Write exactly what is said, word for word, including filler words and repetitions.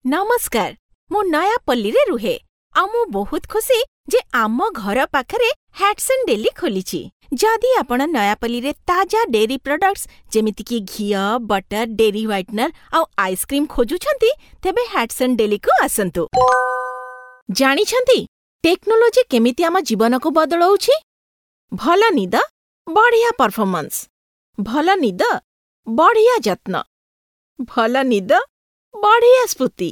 ନମସ୍କାର, ମୁଁ ନୟାପଲ୍ଲୀରେ ରୁହେ, ଆଉ ମୁଁ ବହୁତ ଖୁସି ଯେ ଆମ ଘର ପାଖରେ ହ୍ୟାଟସନ୍ ଡେଲି ଖୋଲିଛି। ଯଦି ଆପଣ ନୟାପଲ୍ଲୀରେ ତାଜା ଡେରୀ ପ୍ରଡକ୍ଟ୍ସ ଯେମିତିକି ଘିଅ, ବଟର୍, ଡେରୀ ହ୍ୱାଇଟନର୍ ଆଉ ଆଇସ୍କ୍ରିମ୍ ଖୋଜୁଛନ୍ତି, ତେବେ ହ୍ୟାଟସନ୍ ଡେଲିକୁ ଆସନ୍ତୁ। ଜାଣିଛନ୍ତି, ଟେକ୍ନୋଲୋଜି କେମିତି ଆମ ଜୀବନକୁ ବଦଳଉଛି? ଭଲ ନିଦ, ବଢ଼ିଆ ପରଫର୍ମାନ୍ସ। ଭଲ ନିଦ, ବଢ଼ିଆ ଯତ୍ନ। ଭଲ ନିଦ, ବଢ଼ିଆ ସ୍ଫୁର୍ତ୍ତି।